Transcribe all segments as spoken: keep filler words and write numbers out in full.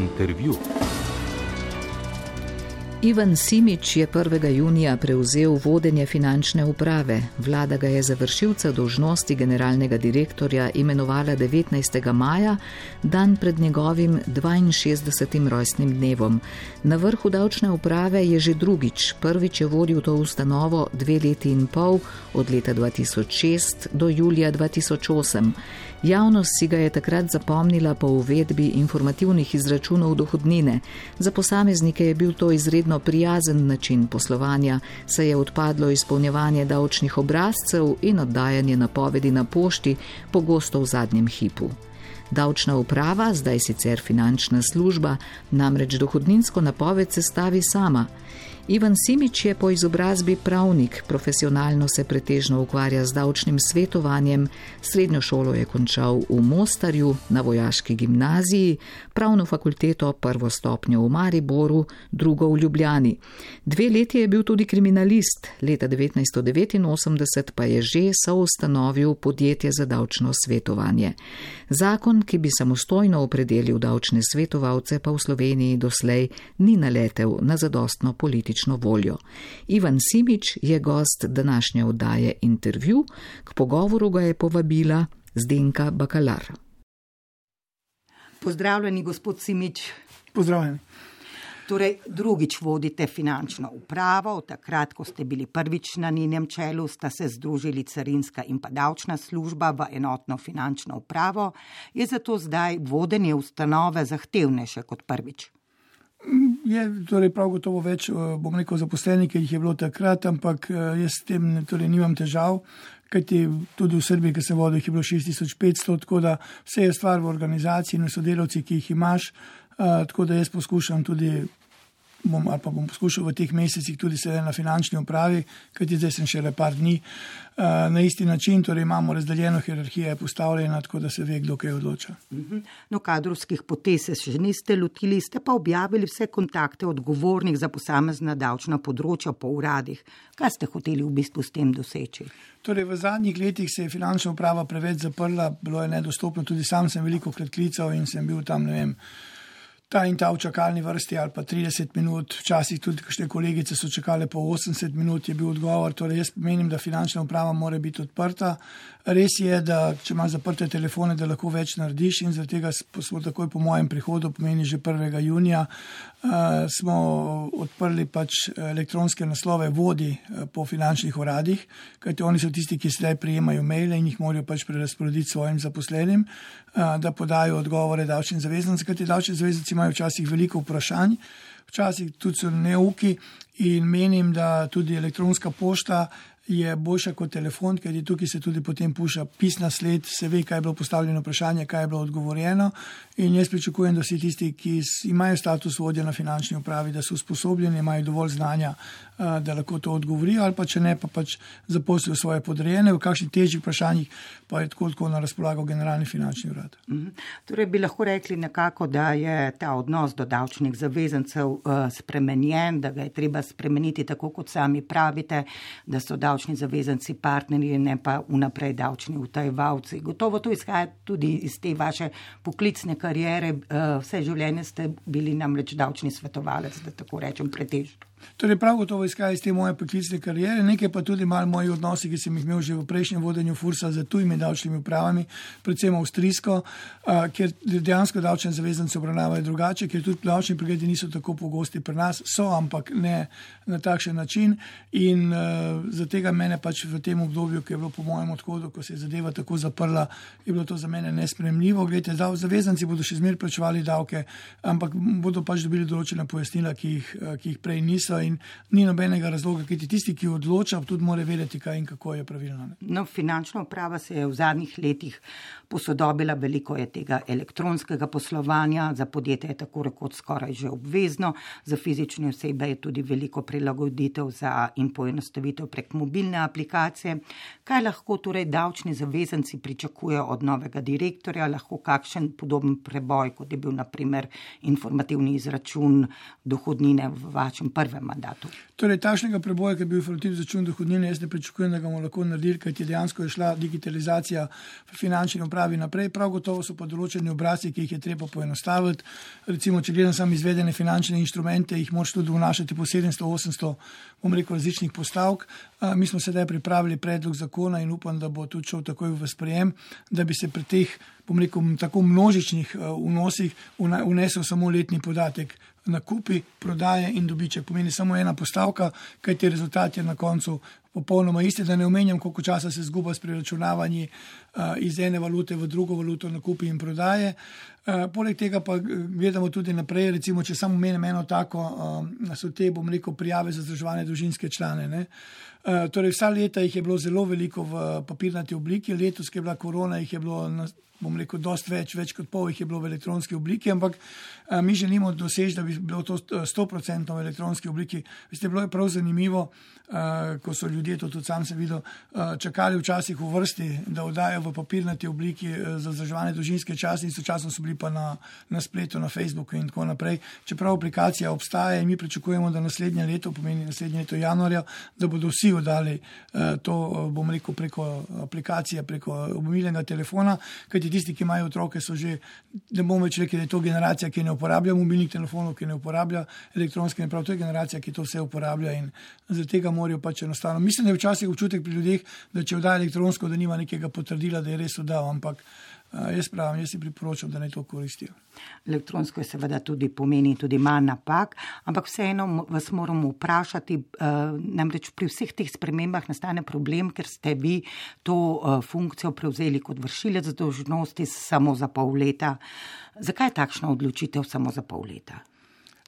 Intervju. Ivan Simič je prvega junija prevzel vodenje finančne uprave. Vlada ga je za vršilca dolžnosti generalnega direktorja imenovala devetnajstega maja, dan pred njegovim dvainšestdesetim rojstnim dnevom. Na vrhu davčne uprave je že drugič. Prvič je vodil to ustanovo dve leti in pol, od leta dva tisoč šest do julija dva tisoč osem. Javnost si ga je takrat zapomnila po uvedbi informativnih izračunov dohodnine. Za posameznike je bil to izredno prijazen način poslovanja, saj je odpadlo izpolnjevanje davčnih obrazcev in oddajanje napovedi na pošti, pogosto v zadnjem hipu. Davčna uprava, zdaj sicer finančna služba, namreč dohodninsko napoved sestavi sama. Ivan Simič je po izobrazbi pravnik, profesionalno se pretežno ukvarja z davčnim svetovanjem, srednjo šolo je končal v Mostarju, na vojaški gimnaziji, pravno fakulteto prvo stopnjo v Mariboru, drugo v Ljubljani. Dve leti je bil tudi kriminalist, leta devetnajststo devetinosemdeset pa je že soustanovil podjetje za davčno svetovanje. Zakon, ki bi samostojno opredelil davčne svetovalce, pa v Sloveniji doslej ni naletel na zadostno politično voljo. Ivan Simič je gost današnje oddaje Intervju, k pogovoru ga je povabila Zdenka Bakalar. Pozdravljeni, gospod Simič. Pozdravljeni. Torej, drugič vodite finančno upravo, od takrat, ko ste bili prvič na njenem čelu, sta se združili carinska in pa davčna služba v enotno finančno upravo. Je zato zdaj vodenje ustanove zahtevnejše kot prvič? Je torej prav gotovo več, bom rekel, zaposlenih, ki jih je bilo takrat, ampak jaz s tem torej nimam težav, kajti tudi v Srbiji, ki se vodi, jih je bilo šest tisoč petsto, tako da vse je stvar v organizaciji in v sodelavci, ki jih imaš, tako da jaz poskušam tudi, bom, ali pa bom poskušal v teh mesecih tudi sedaj na finančni upravi, kajti zdaj sem šele par dni, na isti način, torej imamo razdeljeno, hierarhija je postavljena, tako da se ve, kdo kaj odloča. No, kadrovskih potez se še niste lotili, ste pa objavili vse kontakte odgovornih za posamezna davčna področja po uradih. Kaj ste hoteli v bistvu s tem doseči? Torej, v zadnjih letih se je finančna uprava preveč zaprla, bilo je nedostopno, tudi sam sem veliko krat klical in sem bil tam, ne vem, ta in ta v čakalni vrsti ali pa trideset minut, včasih tudi kakšne kolegice so čakale po osemdeset minut, je bil odgovor. Torej, jaz menim, da finančna uprava mora biti odprta. Res je, da če imaš zaprte telefone, da lahko več narediš in zaradi tega smo takoj po mojem prihodu, pomeni že prvega junija, uh, smo odprli pač elektronske naslove vodi po finančnih uradih, kajti oni so tisti, ki sedaj prijemajo maile in jih morajo pač prerazporediti svojim zaposlenim, uh, da podajo odgovore davčnim zavezancem, kajti davčni zavezanci imajo včasih veliko vprašanj, včasih tudi so neuki in menim, da tudi elektronska pošta je boljša kot telefon, ker tukaj se tudi potem puša pisna sled, se ve, kaj je bilo postavljeno vprašanje, kaj je bilo odgovorjeno in jaz pričakujem, da vsi tisti, ki imajo status vodja na finančni upravi, da so usposobljeni, imajo dovolj znanja, da lahko to odgovorijo ali pa če ne, pa pač zaposlijo svoje podrejene, v kakšnih težjih vprašanjih pa je tako tako na razpolago generalni finančni urad. Mm-hmm. Torej bi lahko rekli nekako, da je ta odnos do davčnih zavezancev uh, spremenjen, da ga je treba spremeniti tako, kot sami pravite, da so davčni zavezanci partnerji, ne pa vnaprej davčni utajevalci. Gotovo to izhaja tudi iz te vaše poklicne kariere. Vse življenje ste bili namreč davčni svetovalec, da tako rečem, pretežno. Torej prav gotovo izhaja iz te moje poklicne kariere, nekaj pa tudi malo moji odnosi, ki sem jih imel že v prejšnjem vodenju Fursa z tujimi davčnimi upravami, predvsem avstrijsko, kjer dejansko davčne zavezance obravnavajo drugače, ker tudi davčni pregledi niso tako pogosti pri nas, so, ampak ne na takšen način in uh, za tega mene pač v tem obdobju, ki je bilo po mojem odhodu, ko se je zadeva tako zaprla, je bilo to za mene nesprejemljivo. Glejte, zavezanci bodo še zmeraj plačevali davke, ampak bodo pač dobili določena pojasnila, ki jih, ki jih prej niso. In ni nobenega razloga, kajti tisti, ki odloča, tudi mora vedeti, kaj in kako je pravilno. No, finančna uprava se je v zadnjih letih posodobila, veliko je tega elektronskega poslovanja, za podjetje je tako rekoč skoraj že obvezno, za fizične osebe je tudi veliko prilagoditev za in poenostavitev prek mobilne aplikacije. Kaj lahko torej davčni zavezanci pričakujejo od novega direktorja, lahko kakšen podoben preboj, kot je bil na primer informativni izračun dohodnine v vašem prvem svojem mandatu. Torej, takšnega preboja, ki je bil informativni račun dohodnine, jaz ne pričakujem, da ga bomo lahko naredili, kajti dejansko je šla digitalizacija v finančni upravi naprej. Prav gotovo so pa določeni obrazci, ki jih je treba poenostaviti. Recimo, če gledam sam izvedene finančne inštrumente, jih moraš tudi vnašati po sedemsto, osemsto, bom rekel, različnih postavk. Mi smo sedaj pripravili predlog zakona in upam, da bo tudi šel takoj v sprejem, da bi se pri teh, bom rekel, tako množičnih vnosih vnesel samo letni podatek. Nakupi, prodaje in dobiček pomeni samo ena postavka, kajti rezultat je na koncu popolnoma isti, da ne omenjam, koliko časa se zguba s preračunavanji uh, iz ene valute v drugo valuto, nakupi in prodaje. Uh, poleg tega pa gledamo tudi naprej, recimo, če samo menim eno tako, uh, so te, bom rekel, prijave za vzdrževane družinske člane. Ne? Uh, torej, vsa leta jih je bilo zelo veliko v papirnati obliki, letos, ki je bila korona, jih je bilo na bom rekel, dost več, več kot pol jih je bilo v elektronski obliki, ampak a, mi želimo doseči, da bi bilo to sto procentov v elektronski obliki. Veste, bilo je prav zanimivo, a, ko so ljudje, to tudi sam sem videl, a, čakali včasih v vrsti, da oddajo v papirnati obliki a, za vzdrževane družinske čase in sočasno so bili pa na, na spletu, na Facebooku in tako naprej. Čeprav aplikacija obstaja in mi pričakujemo, da naslednje leto, pomeni naslednje leto januarja, da bodo vsi oddali a, to, bom rekel, preko aplikacije, preko mobilnega telefona, kajti tisti, ki imajo otroke, so že, ne bomo več rekli, da je to generacija, ki ne uporablja mobilnih telefonov, ki ne uporablja elektronske naprave, to je generacija, ki to vse uporablja in zaradi tega morajo pač enostavno. Mislim, da je včasih občutek pri ljudeh, da če oddaja elektronsko, da nima nekega potrdila, da je res oddal, ampak jaz pravim, jaz si priporočam, da naj to koristijo. Elektronsko je seveda tudi pomeni tudi manj napak, ampak vseeno vas moramo vprašati, namreč pri vseh teh spremembah nastane problem, ker ste vi to funkcijo prevzeli kot vršilec dolžnosti samo za pol leta. Zakaj je takšna odločitev samo za pol leta?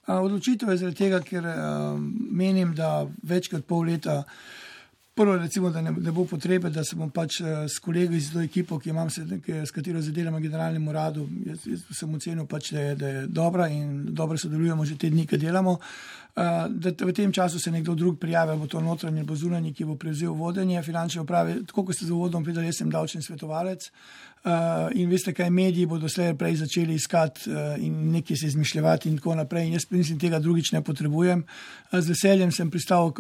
Odločitev je zaradi tega, ker menim, da več kot pol leta prvo, recimo, da ne, ne bo potrebe, da se bom pač s kolegi iz to ekipo, ki imam se, ki, s katero zadelam v generalnem uradu, jaz, jaz sem ocenil pač, da je, da je dobra in dobro sodelujemo že te dni, ki delamo, uh, da v tem času se nekdo drug prijavi, bo to notranji, bo zunanji, ki bo prevzel vodenje finančne uprave. Tako kot ste z uvodom povedali, jaz sem davčni svetovalec. Uh, in veste, kaj mediji bodo slej prej začeli iskati uh, in nekaj se izmišljevati in tako naprej. In jaz mislim, tega drugič ne potrebujem. Uh, z veseljem sem pristal uh,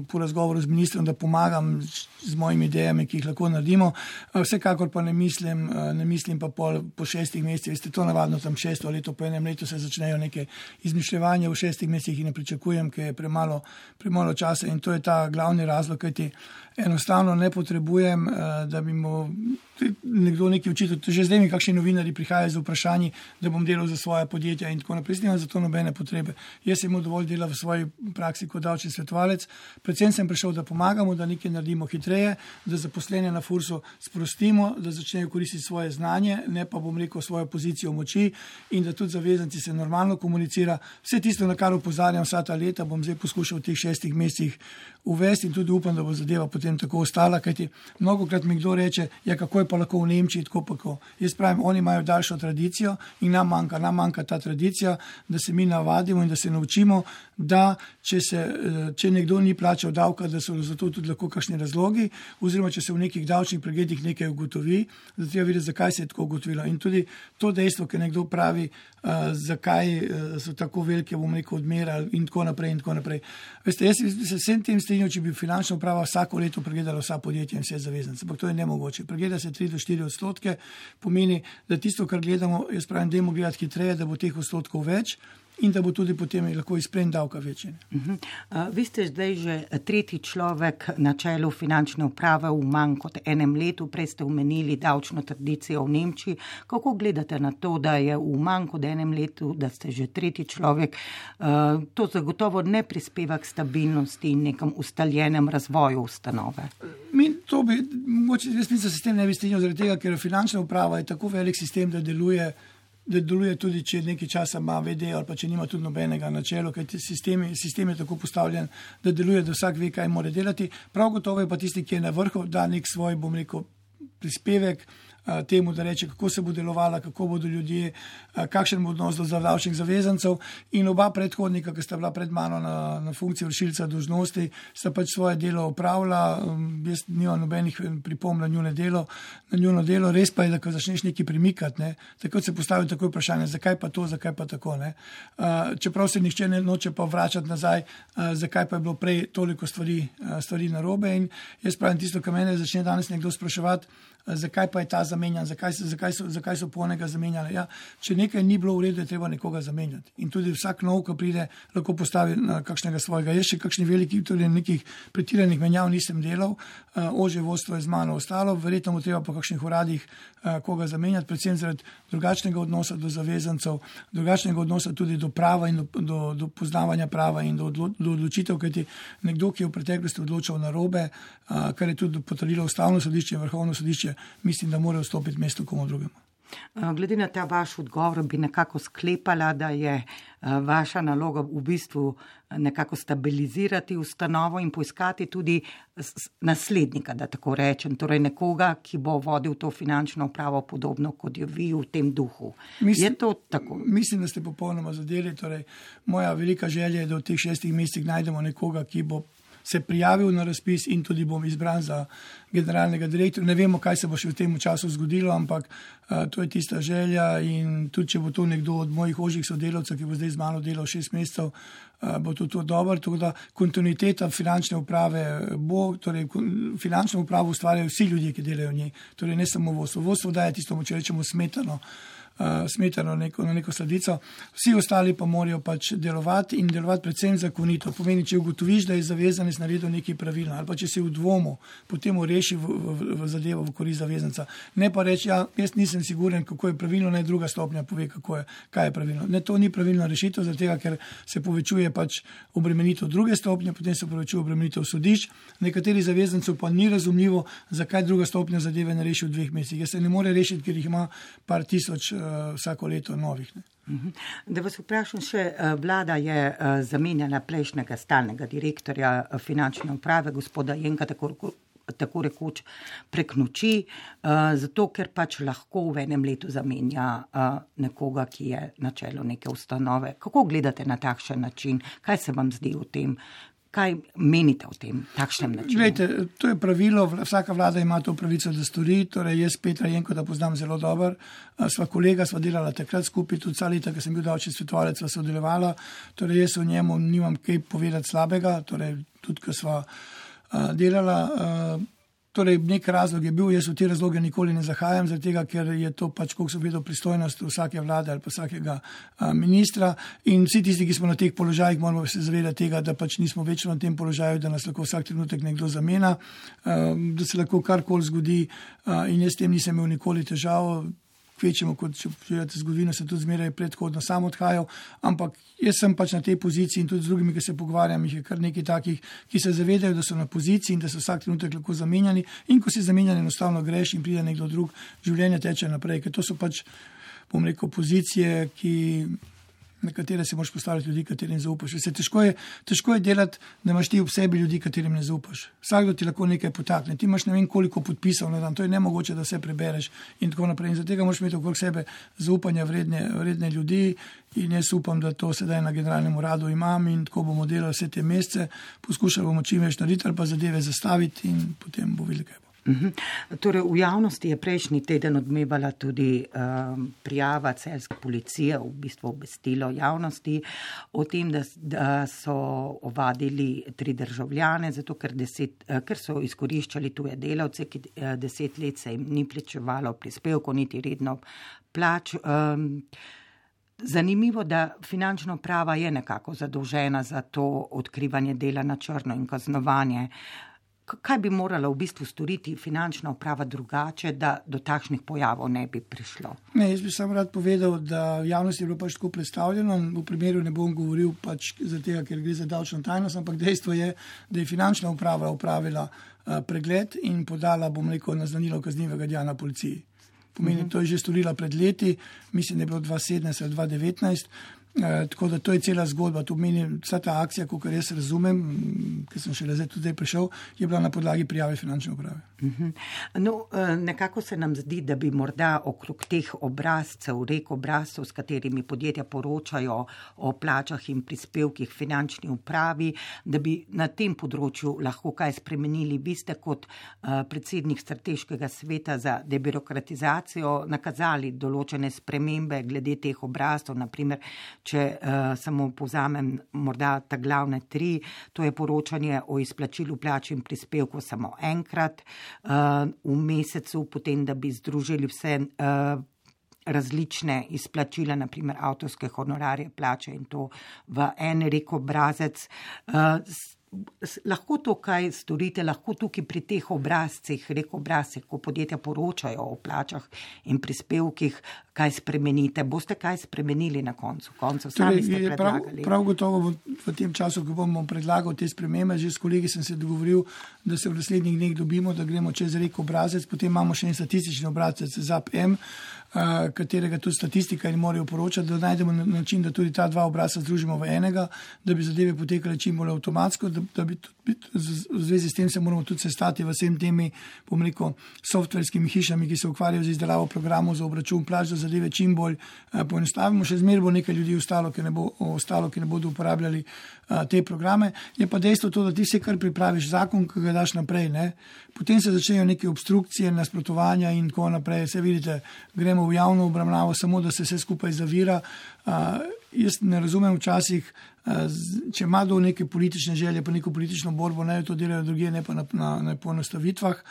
po razgovoru z ministrom, da pomagam z, z mojimi idejami, ki jih lahko naredimo. Uh, vsekakor pa ne mislim, uh, ne mislim pa pol, po šestih mesecih. Veste, to navadno tam šesto leto, po enem letu se začnejo neke izmišljevanja, v šestih mesecih in ne pričakujem, ker je premalo, premalo časa in to je ta glavni razlog, kajti enostavno ne potrebujem, uh, da bi mu nekdo nekaj učitelj, že zdaj mi kakšni novinari prihajajo z vprašanji, da bom delal za svoje podjetja in tako naprej. Nimam za to nobene potrebe. Jaz sem imel dovolj dela v svoji praksi kot davčni svetovalec. Predvsem sem prišel, da pomagamo, da nekaj naredimo hitreje, da zaposlene na Fursu sprostimo, da začnejo koristiti svoje znanje, ne pa bom rekel svojo pozicijo moči in da tudi zavezanci se normalno komunicira. Vse tisto, na kar opozarjam vsa ta leta, bom zdaj poskušal v teh šestih mesecih uvesti in tudi upam, da bo zadeva potem tako ostala, kajti mnogokrat mi kdo reče, ja, kako je pa lahko v Nemčiji, tako pa kako. Jaz pravim, oni imajo daljšo tradicijo in nam manjka, nam manjka ta tradicija, da se mi navadimo in da se naučimo, da če, se, če nekdo ni plačal davka, da so za to tudi lahko kakšni razlogi, oziroma če se v nekih davčnih pregledih nekaj ugotovi, da treba videti, zakaj se je tako ugotovilo. In tudi to dejstvo, ker nekdo pravi, uh, zakaj uh, so tako velike, bom rekel, odmere in tako naprej in tako naprej. Veste, jaz se vsem tem strinjam, če bi finančna uprava vsako leto pregledala vsa podjetja in vse zavezance, ampak to je nemogoče. Pregleda se tri do štiri odstotke, pomeni, da tisto, kar gledamo, jaz pravim, dajmo gledati hitreje, da bo teh odstotkov več in da bo tudi potem lahko izplen davka večji. Uh-huh. Uh, vi ste zdaj že tretji človek na čelu finančne uprave v manj kot enem letu, prej ste omenili davčno tradicijo v Nemčiji. Kako gledate na to, da je v manj kot enem letu, da ste že tretji človek, uh, to zagotovo ne prispeva k stabilnosti in nekem ustaljenem razvoju ustanove? Mi to bi, mogoče, jaz mislim, da se s tem ne bi strinjal, zaradi tega, ker finančna uprava je tako velik sistem, da deluje da deluje tudi, če nekaj časa ima ve de ali pa če nima tudi nobenega na čelu, ker sistem, sistem je tako postavljen, da deluje, da vsak ve, kaj mora delati. Prav gotovo je pa tisti, ki je na vrhu, da nek svoj, bom rekel, prispevek temu, da reče, kako se bo delovala, kako bodo ljudje, kakšen bo odnos do davčnih zavezancev. In oba predhodnika, ki sta bila pred mano na, na funkciji vršilca dolžnosti, sta pač svoje delo opravila. Jaz nimam nobenih pripomb na njuno delo, na njuno delo. Res pa je, da ko začneš nekaj premikati, ne, takrat se postavi tako vprašanje, zakaj pa to, zakaj pa tako. Ne. Čeprav se nihče ne noče pa vračati nazaj, zakaj pa je bilo prej toliko stvari, stvari narobe. In jaz pravim tisto, kar mene začne danes nekdo spraševati, zakaj pa je ta zamenjan, zakaj, zakaj, so, zakaj so polnega zamenjali. Ja, če nekaj ni bilo v redu, je treba nekoga zamenjati. In tudi vsak nov, ko pride, lahko postavi na kakšnega svojega. Jaz še kakšni veliki, tudi nekih pretiranih menjav nisem delal, ožje vodstvo je z mano ostalo, verjetno mu treba po kakšnih uradih koga zamenjati, predvsem zaradi drugačnega odnosa do zavezancev, drugačnega odnosa tudi do prava in do, do, do poznavanja prava in do, odlo, do odločitev, kajti nekdo, ki je v preteklosti odločal narobe, kar je tudi potrdilo Ustavno sodišče in Vrhovno sodišče, mislim, da mora vstopiti mesto komu drugemu. Glede na ta vaš odgovor bi nekako sklepala, da je vaša naloga v bistvu nekako stabilizirati ustanovo in poiskati tudi naslednika, da tako rečem, torej nekoga, ki bo vodil to finančno upravo podobno kot jo vi v tem duhu. Mislim, je to tako? Mislim, da ste popolnoma zadeli. Torej, moja velika želja je, da v teh šestih mesecih najdemo nekoga, ki bo se prijavil na razpis in tudi bom izbran za generalnega direktorja. Ne vemo, kaj se bo še v tem času zgodilo, ampak uh, to je tista želja in tudi, če bo to nekdo od mojih ožjih sodelavcev, ki bo zdaj z mano delal šest mesecev, uh, bo to, to dobro. Tako da kontinuiteta finančne uprave bo, torej finančno upravo ustvarjajo vsi ljudje, ki delajo v njej, torej ne samo vodstvo. Vodstvo daje tisto, če rečemo, smetano, Uh, smetano neko, na neko sladico. Vsi ostali pa morajo pač delovati in delovati predvsem zakonito. Pomeni, če ugotoviš, da je zavezanec naredil nekaj pravilno ali pa če si v dvomu, potem reši v, v, v zadevo v korist zavezanca. Ne pa reči, ja, jaz nisem siguren, kako je pravilno, naj druga stopnja pove, kako je, kaj je pravilno. Ne, to ni pravilna rešitev, zaradi tega, ker se povečuje pač obremenitev druge stopnje, potem se povečuje obremenitev sodišč. Nekateri zavezancev pa ni razumljivo, zakaj druga stopnja zadeve ne reši v dveh mesecih. Jaz se ne more rešiti, ker jih ima par tisoč vsako leto novih. Ne. Da vas vprašam še, vlada je zamenjala prejšnjega stalnega direktorja finančne uprave, gospoda Jenka, tako, tako rekoč prek noči, zato ker pač lahko v enem letu zamenja nekoga, ki je na čelu neke ustanove. Kako gledate na takšen način? Kaj se vam zdi o tem? Kaj menite o tem takšnem načinu? Glejte, to je pravilo, vsaka vlada ima to pravico, da stori, torej jaz Petra Jenko, da poznam zelo dober, sva kolega, sva delala takrat skupaj, tudi vsa leta, ko sem bil davčni svetovalec, sva sodelovala, torej jaz o njemu nimam kaj povedati slabega, torej tudi, ko sva uh, delala, uh, torej nek razlog je bil, jaz v te razloge nikoli ne zahajam, zaradi tega, ker je to pač, koliko so vedel, pristojnost vsake vlade ali pa vsakega a, ministra in vsi tisti, ki smo na teh položajih, moramo se zavedati tega, da pač nismo večno na tem položaju, da nas lahko vsak trenutek nekdo zamena, a, da se lahko karkoli zgodi a, in jaz s tem nisem imel nikoli težav. Kvečemo, kot če pogledate zgodovino, se tudi zmeraj predhodno sam odhajal, ampak jaz sem pač na tej poziciji in tudi z drugimi, ki se pogovarjam, jih je kar nekaj takih, ki se zavedajo, da so na poziciji in da so vsak trenutek lahko zamenjani in ko si zamenjan, enostavno greš in pride nekdo drug, življenje teče naprej, ker to so pač, bom rekel, pozicije, ki na katere se moraš postaviti ljudi, katerim zaupaš. Se težko je, težko je delati, da imaš ti v sebi ljudi, katerim ne zaupaš. Vsakdo ti lahko nekaj potakne. Ti imaš ne vem koliko podpisov na dan, to je nemogoče, da vse prebereš in tako naprej. In zato tega moraš imeti okrog sebe zaupanja vredne, vredne ljudi in jaz upam, da to sedaj na generalnem uradu imam in tako bomo delali vse te mesece, poskušali bomo čim več narediti ali pa zadeve zastaviti in potem bo videli, kaj bo. Uhum. Torej, v javnosti je prejšnji teden odmevala tudi um, prijava celjske policije, v bistvu obvestilo javnosti o tem, da, da so ovadili tri državljane, zato ker, deset, ker so izkoriščali tuje delavce, ki deset let se jim ni plačevalo prispevkov, niti redno plač. Um, Zanimivo, da finančna uprava je nekako zadolžena za to odkrivanje dela na črno in kaznovanje. Kaj bi morala v bistvu storiti finančna uprava drugače, da do takšnih pojavov ne bi prišlo? Ne, jaz bi samo rad povedal, da v javnosti je bilo pač tako predstavljeno, v primeru ne bom govoril pač zaradi tega, ker gre za davčno tajnost, ampak dejstvo je, da je finančna uprava upravila uh, pregled in podala, bom rekel, naznanilo kaznivega dejanja policiji. Pomeni, to je že storila pred leti, mislim, da je bilo dva tisoč sedemnajst ali dva tisoč devetnajst E, tako da to je cela zgodba. To meni vsa ta akcija, kot jaz razumem, ker sem šele zdaj tudi prišel, je bila na podlagi prijave finančne uprave. Uh-huh. No, nekako se nam zdi, da bi morda okrog teh obrazcev, rek obrazcev, s katerimi podjetja poročajo o plačah in prispevkih finančni upravi, da bi na tem področju lahko kaj spremenili. Vi ste kot uh, predsednik strateškega sveta za debirokratizacijo nakazali določene spremembe glede teh obrazcev, naprimer, če uh, samo povzamem morda ta glavne tri, to je poročanje o izplačilu plač in prispevkov samo enkrat uh, v mesecu, potem, da bi združili vse uh, različne izplačila, naprimer avtorske honorarje, plače in to v en rek obrazec. Uh, Lahko to kaj storite, lahko tukaj pri teh obrazcih, rek obrazcih, ko podjetja poročajo o plačah in prispevkih, kaj spremenite. Boste kaj spremenili na koncu? koncu sami ste predlagali. Prav, prav gotovo v tem času, ko bomo predlagali te spremembe, že s kolegi sem se dogovoril, da se v naslednjih dneh dobimo, da gremo čez rek obrazec, potem imamo še en statistični obrazec Z A P M, katerega tudi statistika in morajo poročati, da najdemo način, da tudi ta dva obrazca združimo v enega, da bi zadeve potekale čim bolj avtomatsko, da, da bi tudi, v zvezi s tem se moramo tudi sestati v vsem temi, bom rekel, softverskimi hišami, ki se ukvarjajo z izdelavo programov za obračun plač, da zadeve čim bolj uh, poenostavimo. Še zmeraj bo nekaj ljudi ostalo, ki ne, bo, ostalo, ki ne bodo uporabljali uh, te programe. Je pa dejstvo to, da ti vse kar pripraviš zakon, ki ga daš naprej, ne? Potem se začnejo neke obstrukcije, nasprotovanja in tako naprej. Se vidite, gremo v javno obravnavo, samo da se vse skupaj zavira. Uh, jaz ne razumem včasih, uh, če ima do neke politične želje, pa neko politično borbo, naj to delajo drugje, ne pa na, na, na poenostavitvah.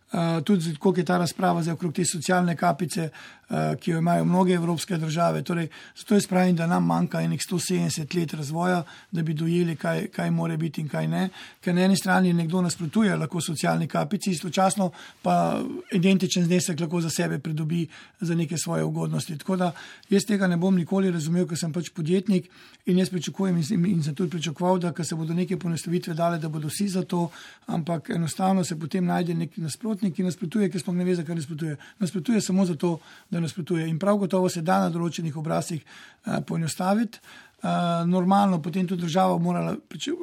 Uh, tudi koliko je ta razprava zdaj okrog te socialne kapice, uh, ki jo imajo mnoge evropske države. Torej, zato je spravim, da nam manjka enih sto sedemdeset let razvoja, da bi dojeli, kaj, kaj more biti in kaj ne. Ker na eni strani nekdo nasprotuje lahko socialni kapici, istočasno pa identičen znesek lahko za sebe pridobi za neke svoje ugodnosti. Tako da jaz tega ne bom nikoli razumel, ker sem pač podjetnik in jaz pričakujem in, in sem tudi pričakoval, da se bodo neke poenostavitve dale, da bodo vsi za to, ampak enostavno se potem najde nek nasprot, ki nasprotuje, ki sploh ne ve, zakaj nasprotuje. Nasprotuje samo zato, da nasprotuje. In prav gotovo se da na določenih obrazcih uh, poenostaviti. Uh, normalno potem tudi država morala, če,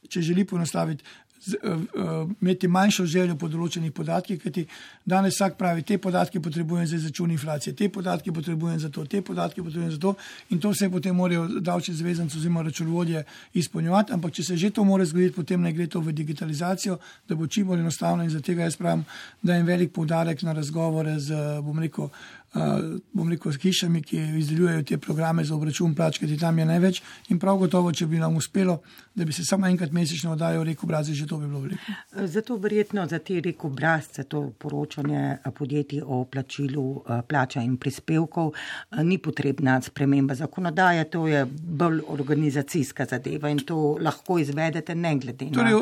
če želi poenostaviti, z, uh, uh, imeti manjšo željo po določenih podatkih, kajti danes vsak pravi, te podatke potrebujem za izračun inflacije, te podatke potrebujem za to, te podatke potrebujem za to in to vse potem morajo davčni zavezanci oziroma računovodje izpolnjevati, ampak če se že to more zgoditi, potem ne gre to v digitalizacijo, da bo čim bolj enostavno in za tega jaz pravim, da je velik poudarek na razgovore z, bom rekel, Uh, bom rekel, s hišami, ki izdelujejo te programe za obračun plač, kajti tam je največ in prav gotovo, če bi nam uspelo, da bi se samo enkrat mesečno oddajal rek obrazce, že to bi bilo veliko. Zato verjetno za te rek obrazce, to poročanje podjetij o plačilu plača in prispevkov, ni potrebna sprememba zakonodaje, to je bolj organizacijska zadeva in to lahko izvedete ne glede na... Torej,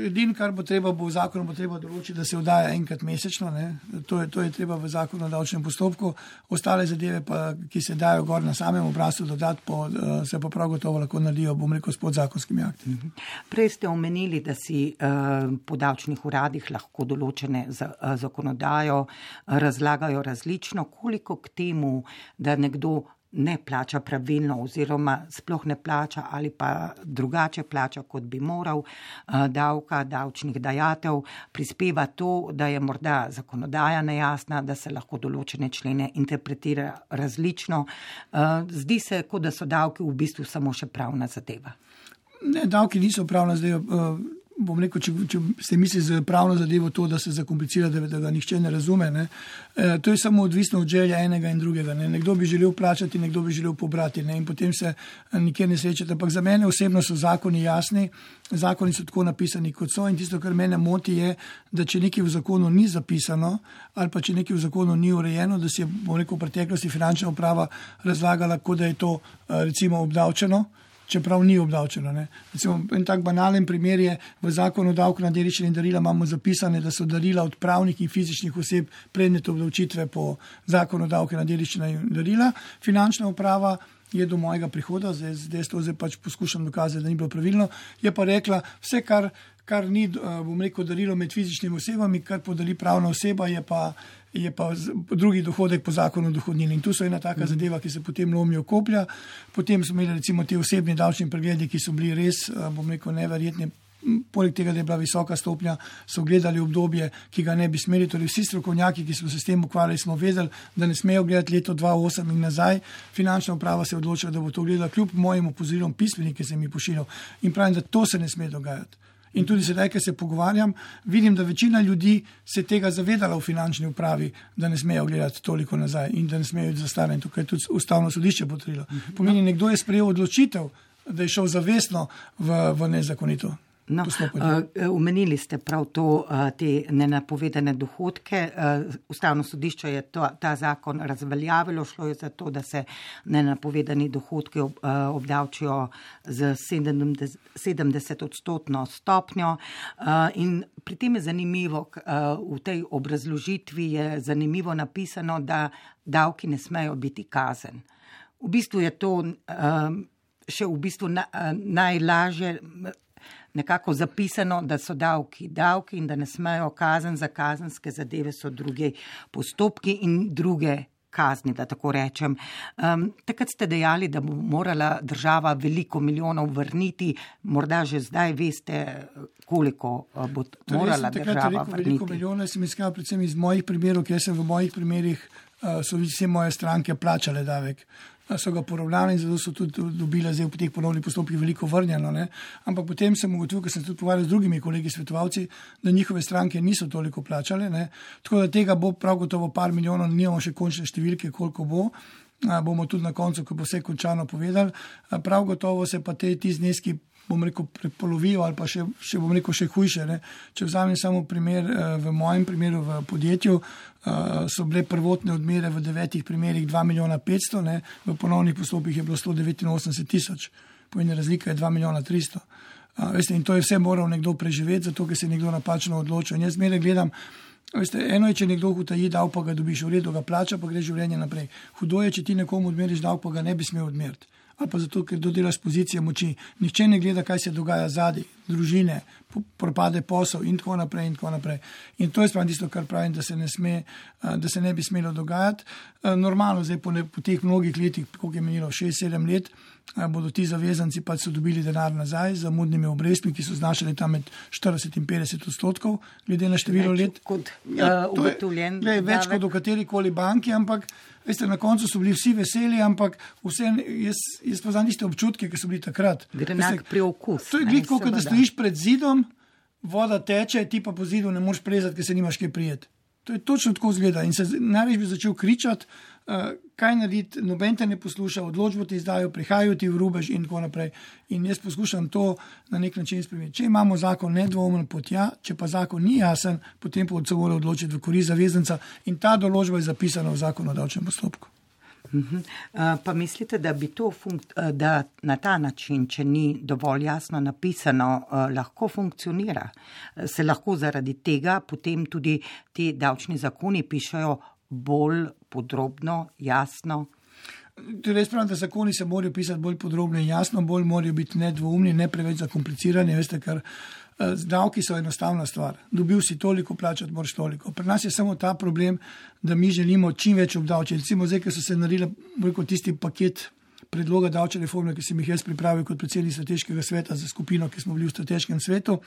edin, kar bo treba, bo v zakonu bo treba določiti, da se oddaja enkrat mesečno, ne? To je, to je treba v zakonu o davčnem postopku. Ostale zadeve, pa, ki se dajo gor na samem obrazcu dodati, po, se pa prav gotovo lahko naredijo, bom rekel, s podzakonskimi akti. Prej ste omenili, da si uh, po davčnih uradih lahko določene za, uh, zakonodajo razlagajo različno. Koliko k temu, da nekdo ne plača pravilno oziroma sploh ne plača ali pa drugače plača, kot bi moral, davka, davčnih dajatev, prispeva to, da je morda zakonodaja nejasna, da se lahko določene člene interpretira različno. Zdi se, kot da so davki v bistvu samo še pravna zadeva. Ne, davki niso pravna zadeva. Bom rekel, če, če ste misli za pravno zadevo to, da se zakomplicira, da, da ga nihče ne razume, ne? E, to je samo odvisno od želja enega in drugega. Ne? Nekdo bi želel plačati, nekdo bi želel pobrati, ne? In potem se nikjer ne srečate. Ampak za mene osebno so zakoni jasni, zakoni so tako napisani, kot so in tisto, kar mene moti je, da če nekaj v zakonu ni zapisano ali pa če nekaj v zakonu ni urejeno, da si je, bom rekel, v preteklosti finančna uprava razlagala, kot da je to recimo obdavčeno, čeprav ni obdavčeno. Ne. Recimo, en tak banalen primer je v zakonu o davku na dediščine in darila imamo zapisane, da so darila od pravnih in fizičnih oseb predmet obdavčitve po zakonu o davku na dediščine in darila. Finančna uprava je do mojega prihoda, zdaj, zdaj to zdaj pač poskušam dokazati, da ni bilo pravilno, je pa rekla, vse, kar kar ni, bom rekel, darilo med fizičnimi osebami, kar podeli pravna oseba, je pa, je pa drugi dohodek po zakonu o dohodnini. In tu so ena taka zadeva, ki se potem lomijo koplja. Potem smo imeli recimo te osebni davčni pregledi, ki so bili res, bom rekel, neverjetni. Poleg tega, da je bila visoka stopnja, so gledali obdobje, ki ga ne bi smeli. Torej vsi strokovnjaki, ki smo se s tem ukvarjali, smo vedeli, da ne smejo gledati leto dva tisoč osem in nazaj. Finančna uprava se je odločila, da bo to gledala kljub mojim opozorilom pismeni, ki sem jih pošiljal. In pravim, da to se ne sme dogajati. In tudi sedaj, ko se pogovarjam, vidim, da večina ljudi se tega zavedala v finančni upravi, da ne smejo gledati toliko nazaj in da ne smejo iti za stare. In tukaj je tudi ustavno sodišče potrdilo. Pomeni, nekdo je sprejel odločitev, da je šel zavestno v, v nezakonito. No, omenili uh, ste prav to, uh, te nenapovedane dohodke. Uh, Ustavno sodišče je to, ta zakon razveljavilo, šlo je za to, da se nenapovedani dohodki ob, uh, obdavčijo z sedemdeset odstotno stopnjo. Uh, in pri tem je zanimivo, uh, v tej obrazložitvi je zanimivo napisano, da davki ne smejo biti kazen. V bistvu je to uh, še v bistvu na, uh, najlažje nekako zapisano, da so davki davki in da ne smejo kazen, za kazenske zadeve so druge postopki in druge kazni, da tako rečem. Um, takrat ste dejali, da bo morala država veliko milijonov vrniti, morda že zdaj veste, koliko bo morala torej, država rekel, vrniti. Veliko milijonov sem iskal predvsem iz mojih primerov, ker sem v mojih primerih, uh, so vse moje stranke plačale davek. So ga poravnali in zato so tudi dobile zdaj v teh ponovnih postopkih veliko vrnjeno. Ne? Ampak potem sem ugotovil, ker sem tudi pogovarjal z drugimi kolegi svetovalci, da njihove stranke niso toliko plačale. Ne? Tako da tega bo prav gotovo par milijonov, nimamo še končne številke, koliko bo. A, bomo tudi na koncu, ko bo vse končano povedali. A, prav gotovo se pa te, ti zneski, bom rekel, prepolovijo ali pa še, še bom rekel, še hujše. Ne? Če vzamem samo primer, v mojem primeru v podjetju, so bile prvotne odmere v devetih primerih dva milijona petsto, ne? V ponovnih postopkih je bilo sto devetinosemdeset tisoč, pomeni razlika je dva milijona tristo. A, veste, in to je vse moral nekdo preživeti, zato ker se je nekdo napačno odločil. In jaz zmeraj gledam, veste, eno je, če nekdo utaji davek, pa ga dobiš v redu, ga plača, pa gre življenje naprej. Hudo je, če ti nekomu odmeriš davek, pa ga ne bi smel odmeriti. Ali pa zato, ker dodelaš pozicije moči. Nihče ne gleda, kaj se dogaja zadaj, družine, propade posel in tako naprej in tako naprej. In to je spravno tisto, kar pravim, da se ne sme, da se ne bi smelo dogajati. Normalno, zdaj po, ne, po teh mnogih letih, koliko je menilo, šest sedem let, bodo ti zavezanci pa so dobili denar nazaj z zamudnimi obrestmi, ki so znašali tam med štirideset in petdeset odstotkov, glede na število let. Kot ja, uh, ugotovljen. Je, več kot v katerikoli banki, ampak veste, na koncu so bili vsi veseli, ampak vse, jaz, jaz poznam iste občutke, ki so bili takrat. Grenak priokus. To je gliko, kot da stojiš pred zidom, voda teče, ti pa po zidu ne moreš prezati, ker se nimaš kaj prijeti. To je točno tako zgleda. In se največ bi začel kričati, uh, kaj narediti, noben te ne posluša, odločbo ti izdajo, prihajajo ti v rubež in tako naprej. In jaz poskušam to na nek način spremeniti. Če imamo zakon nedvoumen potja, če pa zakon ni jasen, potem pa se mora odločiti v korist zavezanca in ta določba je zapisana v zakonu o davčnem postopku. Uh-huh. Uh, pa mislite, da bi to funk- uh, da na ta način, če ni dovolj jasno napisano, uh, lahko funkcionira? Uh, se lahko zaradi tega potem tudi ti davčni zakoni pišejo bolj podrobno, jasno? Res pravim, da zakoni se morajo pisati bolj podrobno in jasno, bolj morajo biti nedvoumni, ne preveč zakomplicirani, veste, ker davki so enostavna stvar. Dobil si toliko, plačati moraš toliko. Pri nas je samo ta problem, da mi želimo čim več obdavčiti. Recimo zdaj, ko so se naredili tisti paket predloga davčne reforme, ki sem jih jaz pripravil kot predsednik strateškega sveta za skupino, ki smo bili v strateškem svetu,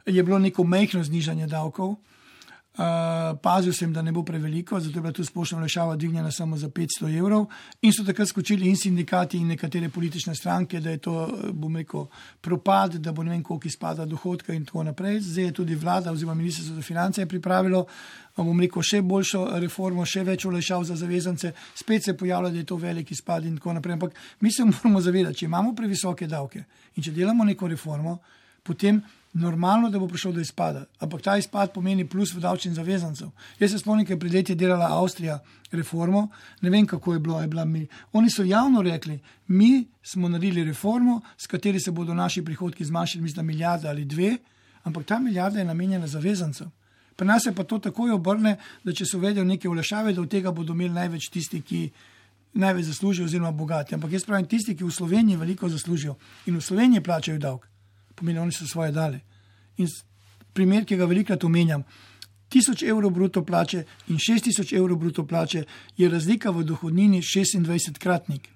je bilo neko majhno znižanje davkov. Uh, pazil sem, da ne bo preveliko, zato je bila tu splošna olajšava dvignjena samo za petsto evrov in so takrat skočili in sindikati in nekatere politične stranke, da je to, bom rekel, propad, da bo ne vem koliko izpada dohodka in tako naprej. Zdaj je tudi vlada oziroma ministrstvo za finance je pripravilo, bom rekel, še boljšo reformo, še več olajšav za zavezance, spet se pojavlja, da je to velik izpad in tako naprej. Ampak mi se moramo zavedati, če imamo previsoke davke in če delamo neko reformo, potem normalno, da bo prišel do izpada. Ampak ta izpad pomeni plus v davčnih zavezancev. Jaz se spomnim, ker pred leti je delala Avstrija reformo, ne vem, kako je bilo, je bila mi. Oni so javno rekli, mi smo naredili reformo, s kateri se bodo naši prihodki zmanjšali, mislim, milijarda ali dve, ampak ta milijarda je namenjena zavezancev. Pri nas se pa to takoj obrne, da če so uvedel neke olajšave, da od tega bodo imeli največ tisti, ki največ zaslužijo oziroma bogati. Ampak jaz pravim, tisti, ki v Sloveniji veliko zaslužijo in v Sloveniji plačajo davek, pomeni, oni so svoje dali. In primer, ki ga velikrat omenjam, tisoč evrov bruto plače in šest tisoč evrov bruto plače je razlika v dohodnini šestindvajsetkratnik,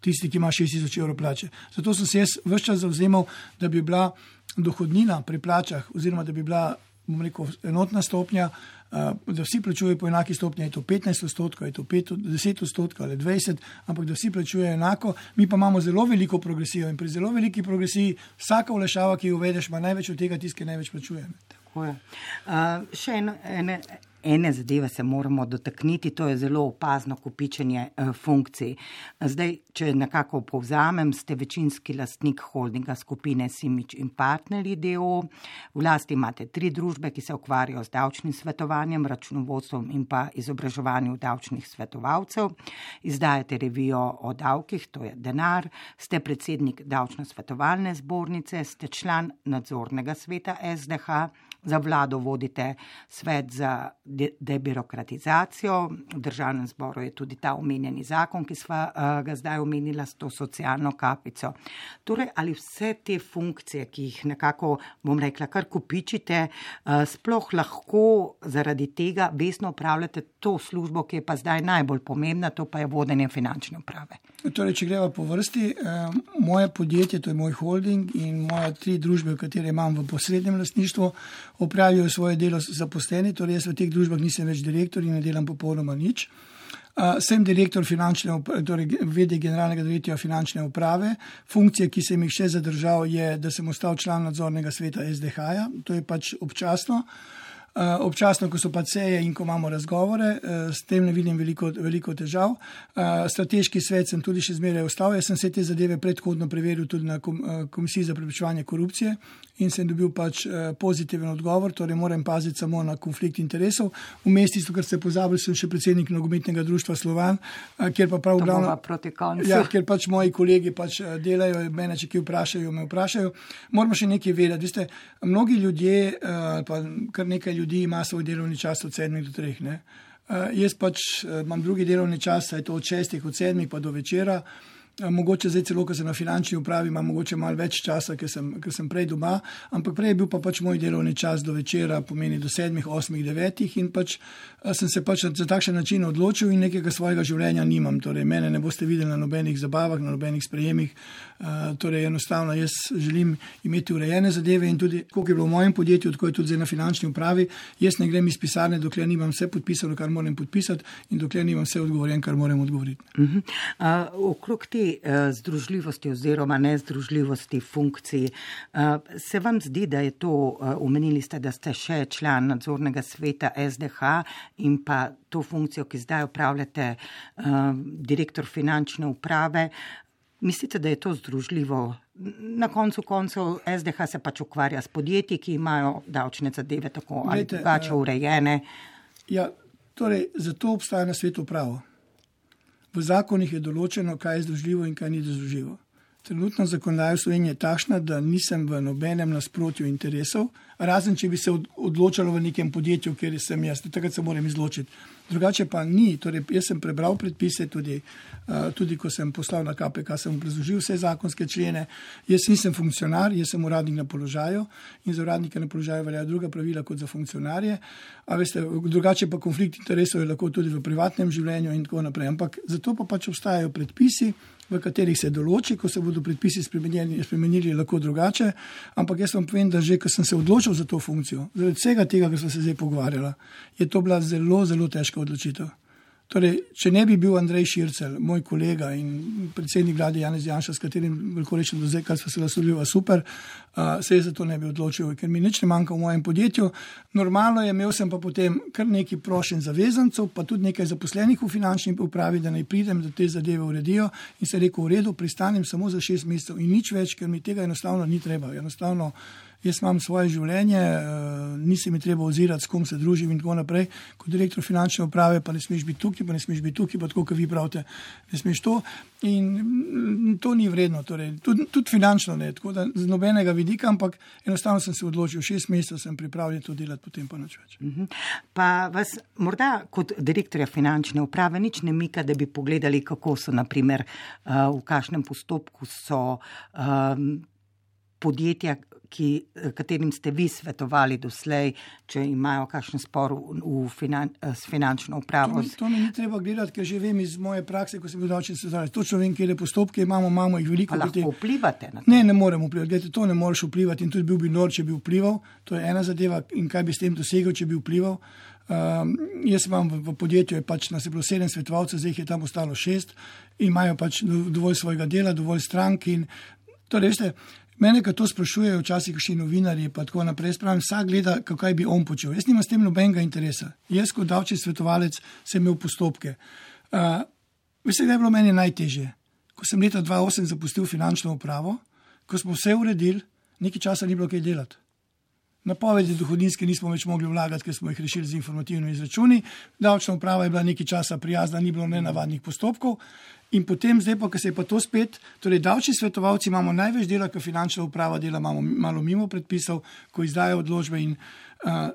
tisti, ki ima šest tisoč evrov plače. Zato sem se jaz ves čas zavzemal, da bi bila dohodnina pri plačah oziroma da bi bila, bom rekel, enotna stopnja, da vsi plačujejo po enaki stopnji, je to petnajst odstotkov, je to deset odstotkov ali dvajset, ampak da vsi plačujejo enako. Mi pa imamo zelo veliko progresijo in pri zelo veliki progresiji vsaka olajšava, ki jo uvedeš, ima največ od tega tisti, ki največ plačuje. Tako je. Uh, še eno, ene, ene zadeve se moramo dotakniti, to je zelo opazno kopičenje uh, funkcij. Zdaj, če nekako povzamem, ste večinski lastnik holdinga skupine Simič in partnerji D O O. V lasti imate tri družbe, ki se ukvarjajo z davčnim svetovanjem, računovodstvom in pa izobraževanjem davčnih svetovalcev. Izdajate revijo o davkih, to je Denar, ste predsednik davčno-svetovalne zbornice, ste član nadzornega sveta S D H, za vlado vodite svet za de- debirokratizacijo, v državnem zboru je tudi ta omenjeni zakon, ki sva uh, ga zdaj omenila s to socialno kapico. Torej, ali vse te funkcije, ki jih nekako, bom rekla, kar kopičite, uh, sploh lahko zaradi tega vestno upravljate to službo, ki je pa zdaj najbolj pomembna, to pa je vodenje finančne uprave? Torej, če greva po vrsti, eh, moje podjetje, to je moj holding in moje tri družbe, v katere imam v posrednem lastništvu, opravijo svoje delo zaposleni, torej jaz v teh družbah nisem več direktor in ne delam popolnoma nič. Uh, sem direktor finančne, torej vede generalnega direktorja finančne uprave. Funkcije, ki sem jih še zadržal, je, da sem ostal član nadzornega sveta S D H-ja, to je pač občasno. Uh, občasno, ko so pa seje in ko imamo razgovore, uh, s tem ne vidim veliko, veliko težav. Uh, strateški svet sem tudi še zmeraj ostal. Jaz sem se te zadeve predhodno preveril tudi na kom, uh, Komisiji za preprečevanje korupcije in sem dobil pač uh, pozitiven odgovor, torej moram paziti samo na konflikt interesov. Vmes tisto, kar ste pozabili, sem še predsednik nogometnega društva Slovan, uh, kjer pa prav glavno, ja, kjer pač moji kolegi pač uh, delajo, mene če ki vprašajo, me vprašajo. Moramo še nekaj vedeti. Veste, mnogi ljudje, uh, pa kar nekaj ljudi, ljudi ima svoj delovni čas od sedmih do treh. Ne? Uh, jaz pač uh, imam drugi delovni čas, saj to od šestih, od sedmih pa do večera. Uh, mogoče zdaj celo, ko sem na finančni upravi, imam mogoče malo več časa, ker sem, ker sem prej doma, ampak prej je bil pa pač moj delovni čas do večera, pomeni do sedmih, osmih, devetih in pač uh, sem se pač za takšen način odločil in nekega svojega življenja nimam. Torej, mene ne boste videli na nobenih zabavah, na nobenih sprejemih. Uh, torej, enostavno jaz želim imeti urejene zadeve in tudi, koliko je bilo v mojem podjetju, tako je tudi zdaj na finančni upravi, jaz ne grem iz pisarne, dokler nimam vse podpisano, kar moram podpisati in dokler nimam vse odgovorjen, kar moram odgovoriti. Uh-huh. Uh, okrog te uh, združljivosti oziroma nezdružljivosti funkcij, uh, se vam zdi, da je to, uh, omenili ste, da ste še član nadzornega sveta S D H in pa to funkcijo, ki zdaj upravljate, uh, direktor finančne uprave, mislite, da je to združljivo? Na koncu koncev S D H se pač ukvarja s podjetji, ki imajo davčne zadeve tako ali drugače urejene. Ja, torej, zato obstaja na svetu pravo. V zakonih je določeno, kaj je združljivo in kaj ni združljivo. Trenutno zakonodaja v Sloveniji je takšna, da nisem v nobenem nasprotju interesov, razen če bi se odločalo v nekem podjetju, kjer sem jaz, takrat se moram izločiti. Drugače pa ni, torej jaz sem prebral predpise, tudi, uh, tudi ko sem poslal na K P K, sem obrazložil vse zakonske člene. Jaz nisem funkcionar, jaz sem uradnik na položaju in za uradnike na položaju veljajo druga pravila kot za funkcionarje. A veste, drugače pa konflikt interesov je lahko tudi v privatnem življenju in tako naprej. Ampak zato pa pač obstajajo predpisi, v katerih se določi, ko se bodo predpisi spremenili, spremenili lahko drugače, ampak jaz vam povem, da že, ko sem se odločil za to funkcijo, zaradi vsega tega, kar smo se zdaj pogovarjala, je to bila zelo, zelo težka odločitev. Torej, če ne bi bil Andrej Šircelj, moj kolega in predsednik vlade Janez Janša, s katerim veliko rečem do zdaj, kar smo se naslovili super, uh, se je za to ne bi odločil, ker mi nič ne manjka v mojem podjetju. Normalno je, imel sem pa potem kar nekaj prošenj zavezancev, pa tudi nekaj zaposlenih v finančni upravi, da naj pridem, da te zadeve uredijo in se rekel, v redu, pristanem samo za šest mesecev in nič več, ker mi tega enostavno ni treba. Enostavno jaz imam svoje življenje, nisi mi treba ozirati, s kom se družim in tako naprej. Kot direktor finančne uprave pa ne smeš biti tukaj, pa ne smeš biti tukaj, pa tako, kot vi pravite, ne smeš to. In to ni vredno, torej, tudi, tudi finančno ne, tako da z nobenega vidika, ampak enostavno sem se odločil, šest mesecev sem pripravljen to delati, potem pa nič več. Uh-huh. Pa vas morda kot direktorja finančne uprave nič ne mika, da bi pogledali, kako so, naprimer, uh, v kakšnem postopku so um, podjetja, ki, katerim ste vi svetovali doslej, če imajo kakšen spor v, v finan, s finančno upravo? To mi, to mi ni treba gledati, ker že vem iz moje prakse, ko sem bil davčni svetovalec. Točno vem, kje postopke imamo, imamo jih veliko. Pa lahko vplivate na to? Ne, ne morem vplivati. Gledajte, to ne moreš vplivati in tudi bil bi nor, če bi vplival. To je ena zadeva in kaj bi s tem dosegel, če bi vplival. Um, jaz imam v, v podjetju, je pač nas je bilo sedem svetovalcev, zdaj jih je tam ostalo šest in imajo pač dovolj svojega dela, dovolj strank in torej, veste, mene, ko to sprašujejo včasih kakšni novinarji, pa tako naprej, spravim, vsak gleda, kaj bi on počel. Jaz nimam s tem nobenega interesa. Jaz kot davčni svetovalec sem imel postopke. Uh, veste, da je bilo meni najtežje. Ko sem leta dva tisoč osem zapustil finančno upravo, ko smo vse uredili, nekaj časa ni bilo kaj delati. Napovedi dohodninske nismo več mogli vlagati, ker smo jih rešili z informativnimi izračuni. Davčna uprava je bila nekaj časa prijazna, ni bilo nenavadnih postopkov. In potem, zdaj pa, ko se je pa to spet, torej davčni svetovalci imamo največ dela, ko finančna uprava dela imamo malo mimo predpisov, ko izdajo odločbe in uh,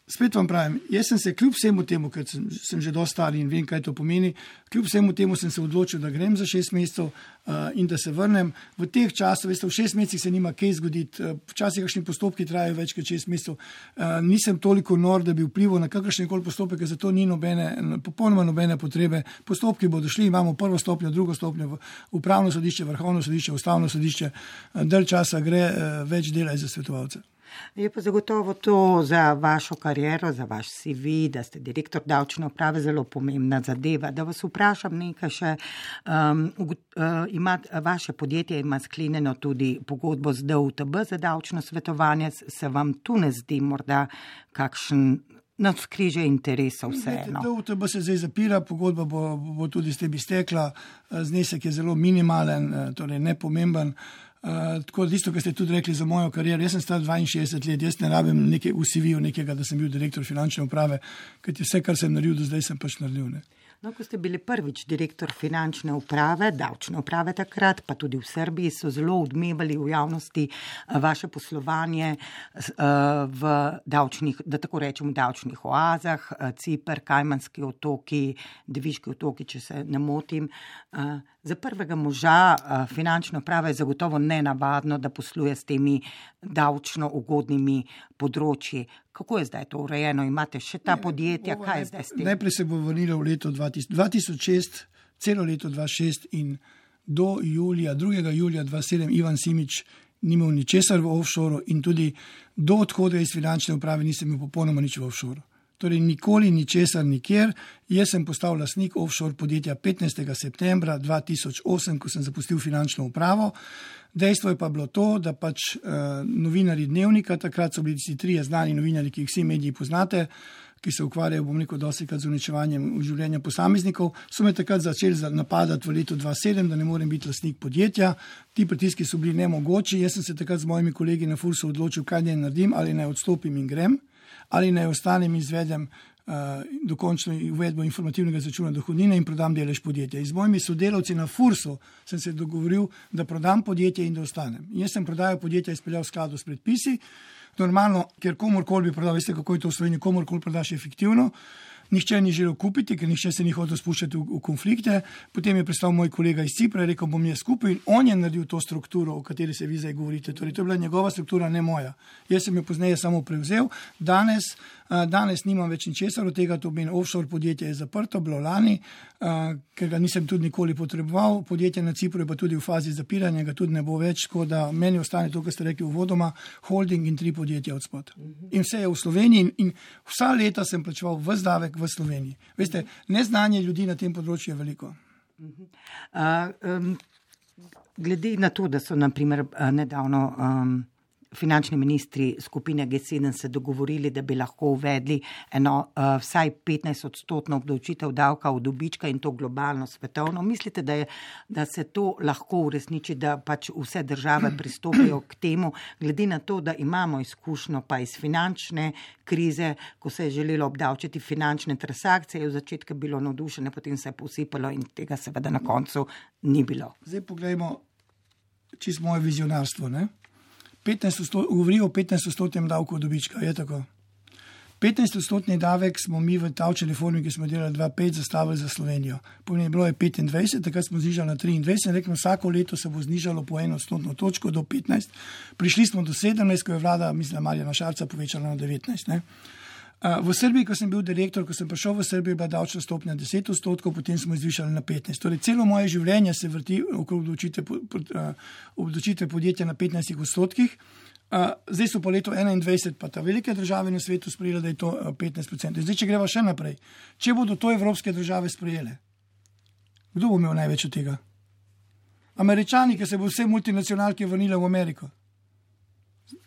spet vam pravim, jaz sem se kljub vsemu temu, ker sem, sem že dosti star in vem, kaj to pomeni, kljub vsemu temu sem se odločil, da grem za šest mesecev uh, in da se vrnem. V teh časih, veste, v šest mesecih se nima kaj zgoditi, uh, včasih kakšni postopki trajajo več kot šest mesecev. Uh, nisem toliko nor, da bi vplival na kakršen koli postopek, ker za to ni nobene, popolnoma nobene potrebe. Postopki bodo šli, imamo prvo stopnjo, drugo stopnjo, upravno sodišče, vrhovno sodišče, ustavno sodišče, uh, dalj časa gre, uh, več dela za svetovalce. Je pa zagotovo to za vašo kariero, za vaš C V, da ste direktor davčne uprave, zelo pomembna zadeva. Da vas vprašam nekaj še, um, uh, ima, vaše podjetje ima sklenjeno tudi pogodbo z D U T B za davčno svetovanje. Se vam tu ne zdi morda kakšen navzkrižje interesov vseeno? D U T B se zdaj zapira, pogodba bo, bo tudi s tem iztekla, znesek je zelo minimalen, torej nepomemben. Uh, tako da isto, kar ste tudi rekli za mojo kariero, jaz sem star dvainšestdeset let, jaz ne rabim nekaj v C V-ju nekega, da sem bil direktor finančne uprave, ker vse, kar sem naredil do zdaj, sem pač naredil. Ne? No, ko ste bili prvič direktor finančne uprave, davčne uprave takrat, pa tudi v Srbiji, so zelo odmevali v javnosti vaše poslovanje v davčnih, da tako rečem, v davčnih oazah, Ciper, Kajmanski otoki, Deviški otoki, če se ne motim. Za prvega moža finančna uprava je zagotovo nenavadno, da posluje s temi davčno ugodnimi področji. Kako je zdaj to urejeno? Imate še ta podjetja? Ne, kaj je zdaj s tem? Najprej se bo vrnilo v leto dva tisoč šest, celo leto dva tisoč šest in do julija, drugega julija dva tisoč sedem Ivan Simič ni imel ničesar v offshore in tudi do odhoda iz finančne uprave nisem imel popolnoma nič v offshore. Torej nikoli ničesar nikjer. Jaz sem postal lastnik offshore podjetja petnajstega septembra dva tisoč osem, ko sem zapustil finančno upravo. Dejstvo je pa bilo to, da pač uh, novinari Dnevnika, takrat so bili vsi trije znani novinari, ki jih vsi mediji poznate, ki se ukvarjajo, bom rekel, dostikrat z uničevanjem življenja posameznikov, so me takrat začeli napadati v letu dva tisoč sedem, da ne morem biti lastnik podjetja. Ti pritiski so bili nemogoči. Jaz sem se takrat z mojimi kolegi na Fursu odločil, kaj naj naredim, ali naj odstopim in grem, ali naj ostanem in izvedem uh, dokončno uvedbo informativnega izračuna dohodnine in prodam delež podjetja. In z mojimi sodelavci na Fursu sem se dogovoril, da prodam podjetje in da ostanem. In jaz sem prodajal podjetja izpeljal v skladu s predpisi. Normalno, ker komorkoli bi prodal, veste, kako je to v Sloveniji, komorkoli prodaš efektivno. Nihče ni želel kupiti, ker nihče se ni hotel spuščati v, v konflikte. Potem je pristal moj kolega iz Cipra in rekel, bom jaz skupaj in on je naredil to strukturo, o kateri se vi zdaj govorite. Torej, to je bila njegova struktura, ne moja. Jaz sem jo pozneje samo prevzel. Danes, uh, danes nimam več ničesar od tega, to pomeni offshore podjetje je zaprto, bilo lani, uh, ker ga nisem tudi nikoli potreboval. Podjetje na Cipru je pa tudi v fazi zapiranja, ga tudi ne bo več, tako da meni ostane to, kar ste rekli uvodoma, holding in tri podjetja od spod. In vse je v Sloveniji in, in vsa leta sem plačeval ves davek v Sloveniji. Veste, neznanje ljudi na tem področju je veliko. Uh, um, glede na to, da so naprimer nedavno um, finančni ministri skupine G sedem se dogovorili, da bi lahko uvedli eno uh, vsaj petnajst odstotno obdavčitev davka od dobička in to globalno, svetovno. Mislite, da, je, da se to lahko uresniči, da pač vse države pristopijo k temu, glede na to, da imamo izkušnjo pa iz finančne krize, ko se je želelo obdavčiti finančne transakcije, v začetku bilo navdušene, potem se je posipalo in tega seveda na koncu ni bilo. Zdaj pogledajmo čisto moje vizionarstvo, ne? petnajst odstotkov, govori o petnajst odstotnem davku od dobička, je tako. petnajstodstotni davek smo mi v davčni reformi, ki smo delali dva tisoč pet, zastavili za Slovenijo. Pomeni, bilo je petindvajset, takrat smo znižali na triindvajset, rekli, vsako leto se bo znižalo po eno odstotno točko do petnajst. Prišli smo do sedemnajst, ko je vlada, mislim, Marjana Šarca povečala na devetnajst. Ne? V Srbiji, ko sem bil direktor, ko sem prišel v Srbijo, je bila davčna stopnja deset odstotkov, potem smo zvišali na petnajst. Torej, celo moje življenje se vrti okrog obdavčitve podjetja na petnajstih odstotkih. Zdaj so po letu enaindvajset pa ta velike države na svetu sprejele, da je to petnajst odstotkov. Zdaj, če greva še naprej, če bodo to evropske države sprejele, kdo bo imel največ od tega? Američani, ki se bo vse multinacionalke vrnile v Ameriko.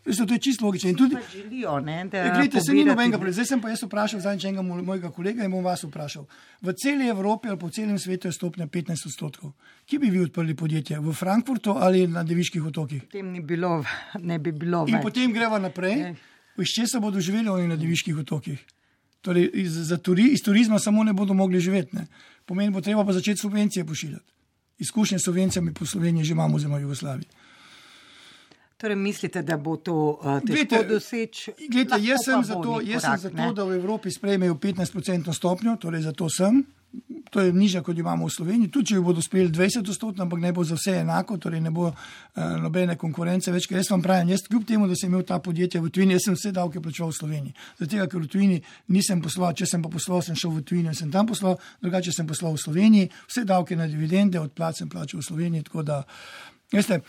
Veste, to je čisto logično. Tudi, želijo, ne, da gledajte, se ni nobenega problema. Zdaj sem pa jaz vprašal zadnjič enega mojega kolega in bom vas vprašal. V celi Evropi ali po celem svetu je stopnja petnajst odstotkov. Kje bi vi odprli podjetje? V Frankfurtu ali na Deviških otokih? Potem ni bilo, ne bi bilo in več. Potem greva naprej. Iz česa bodo živeli oni na Deviških otokih? Torej, iz, za turi, iz turizma samo ne bodo mogli živeti. Ne? Pomeni, bo treba pa začeti subvencije pošiljati. Izkušnje s subvencijami po Sloveniji že imamo oziroma Jugoslaviji. Torej, mislite, da bo to uh, težko doseči? Gledajte, jaz sem za to, jaz sem za to, da v Evropi sprejmejo petnajst odstotno stopnjo, torej za to sem. To je nižja, kot imamo v Sloveniji. Tudi, če jo bodo sprejeli dvajset odstotno, ampak ne bo za vse enako, torej ne bo uh, nobene konkurence več. Jaz vam pravim, jaz kljub temu, da sem imel ta podjetja v tujini, jaz sem vse davke plačeval v Sloveniji. Zato, ker v tujini nisem poslal, če sem pa poslal, sem šel v tujino in sem tam poslal, drugače sem poslal v Sloveniji, vse davke na dividende, od plač sem plačal v Sloveniji, tako da. Veste,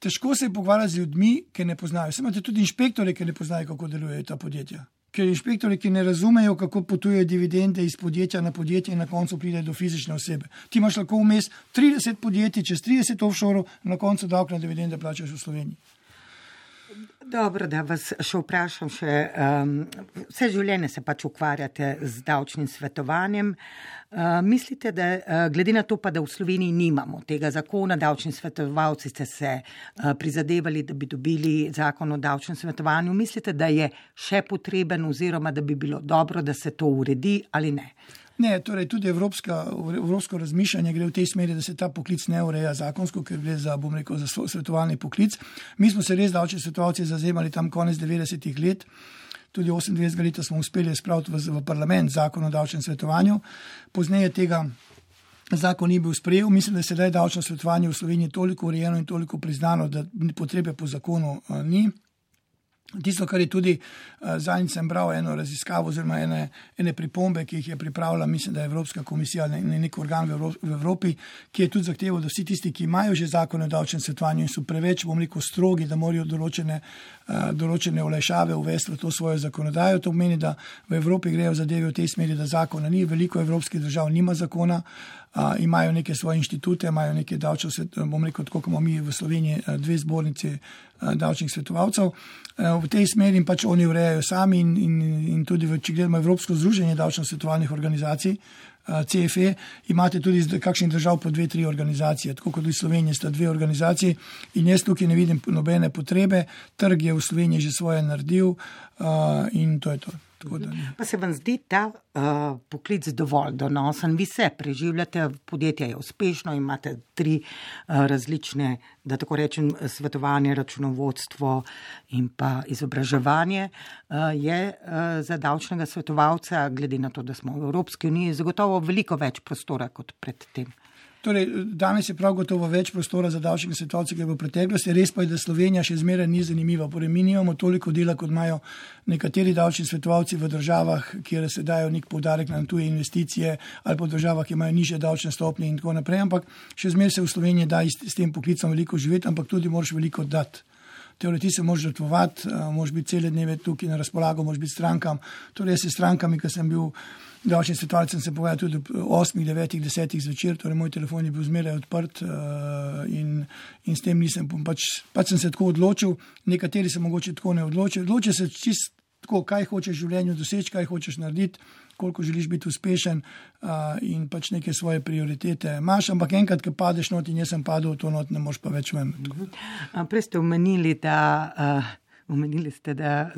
težko se je pogovarjati z ljudmi, ki ne poznajo. Vse imate tudi inšpektore, ki ne poznajo, kako delujejo ta podjetja. Ker inšpektori, ki ne razumejo, kako potujejo dividende iz podjetja na podjetje in na koncu pride do fizične osebe. Ti imaš lahko vmes trideset podjetij, čez trideset offshore, na koncu davek na dividende plačaš v Sloveniji. Dobro, da vas še vprašam še, um, vse življenje se pač ukvarjate z davčnim svetovanjem. Uh, mislite, da uh, glede na to pa, da v Sloveniji nimamo tega zakona, davčni svetovalci ste se uh, prizadevali, da bi dobili zakon o davčnem svetovanju, mislite, da je še potreben oziroma da bi bilo dobro, da se to uredi ali ne? Ne, torej tudi evropska, evropsko razmišljanje gre v tej smeri, da se ta poklic ne ureja zakonsko, ker gre za, bom rekel, za svetovalni poklic. Mi smo se res davčni svetovalci zazemali tam konec devetdesetih let, tudi osemindvajsetega leta smo uspeli spraviti v, v parlament zakon o davčnem svetovanju. Pozneje tega zakon ni bil sprejel. Mislim, da se sedaj davčno svetovanje v Sloveniji toliko urejeno in toliko priznano, da potrebe po zakonu uh, ni. Tisto, kar je tudi uh, zadnjič sem bral eno raziskavo oziroma ene, ene pripombe, ki jih je pripravila, mislim, da je Evropska komisija, ne, ne nek organ v, Evrop, v Evropi, ki je tudi zahteval, da vsi tisti, ki imajo že zakon o davčnem svetovanju in so preveč, bom rekel, strogi, da morajo določene, uh, določene olajšave uvesti v to svojo zakonodajo. To pomeni, da v Evropi grejo zadeve v tej smeri, da zakona ni, veliko evropskih držav nima zakona, uh, imajo neke svoje inštitute, imajo neke davčne svetove, bom rekel, tako kot imamo mi v Sloveniji dve zbornici davčnih svetovalcev. V tej smeri pač oni urejajo sami in, in, in tudi, v, če gledamo Evropsko združenje davčno-svetovalnih organizacij, C F E, imate tudi iz kakšnih držav po dve, tri organizacije, tako kot v Sloveniji sta dve organizaciji in jaz tukaj ne vidim nobene potrebe, trg je v Sloveniji že svoje naredil uh, in to je to. Pa se vam zdi ta uh, poklic dovolj donosen? Vi se preživljate, podjetje je uspešno, imate tri uh, različne, da tako rečem, svetovanje, računovodstvo in pa izobraževanje. Uh, je uh, za davčnega svetovalca, glede na to, da smo v Evropski uniji, zagotovo veliko več prostora kot pred tem. Torej, danes je prav gotovo več prostora za davčnega svetovalca, kot je v preteklosti. Res pa je, da Slovenija še zmeraj ni zanimiva. Torej, mi nimamo toliko dela, kot imajo nekateri davčni svetovalci v državah, kjer se dajo nek poudarek na tuje investicije ali pa v državah, ki imajo nižje davčne stopnje in tako naprej. Ampak še zmeraj se v Sloveniji da s tem poklicom veliko živeti, ampak tudi moraš veliko dati. Teoreti se moraš žrtvovati, moraš biti cele dneve tukaj na razpolago, moraš biti strankam. Torej, jaz se strankami, ko sem bil davčni svetovalec, sem se povedal tudi ob osmih, devetih, desetih zvečer, torej moj telefon je bil zmeraj odprt uh, in, in s tem nisem, pač, pač sem se tako odločil, nekateri se mogoče tako ne odločijo. Odločijo se čisto tako, kaj hočeš v življenju doseči, kaj hočeš narediti, koliko želiš biti uspešen uh, in pač neke svoje prioritete imaš, ampak enkrat, ko padeš not in jaz sem padel, to not ne moš pa več ven. Prej ste omenili, da uh, Omenili ste, da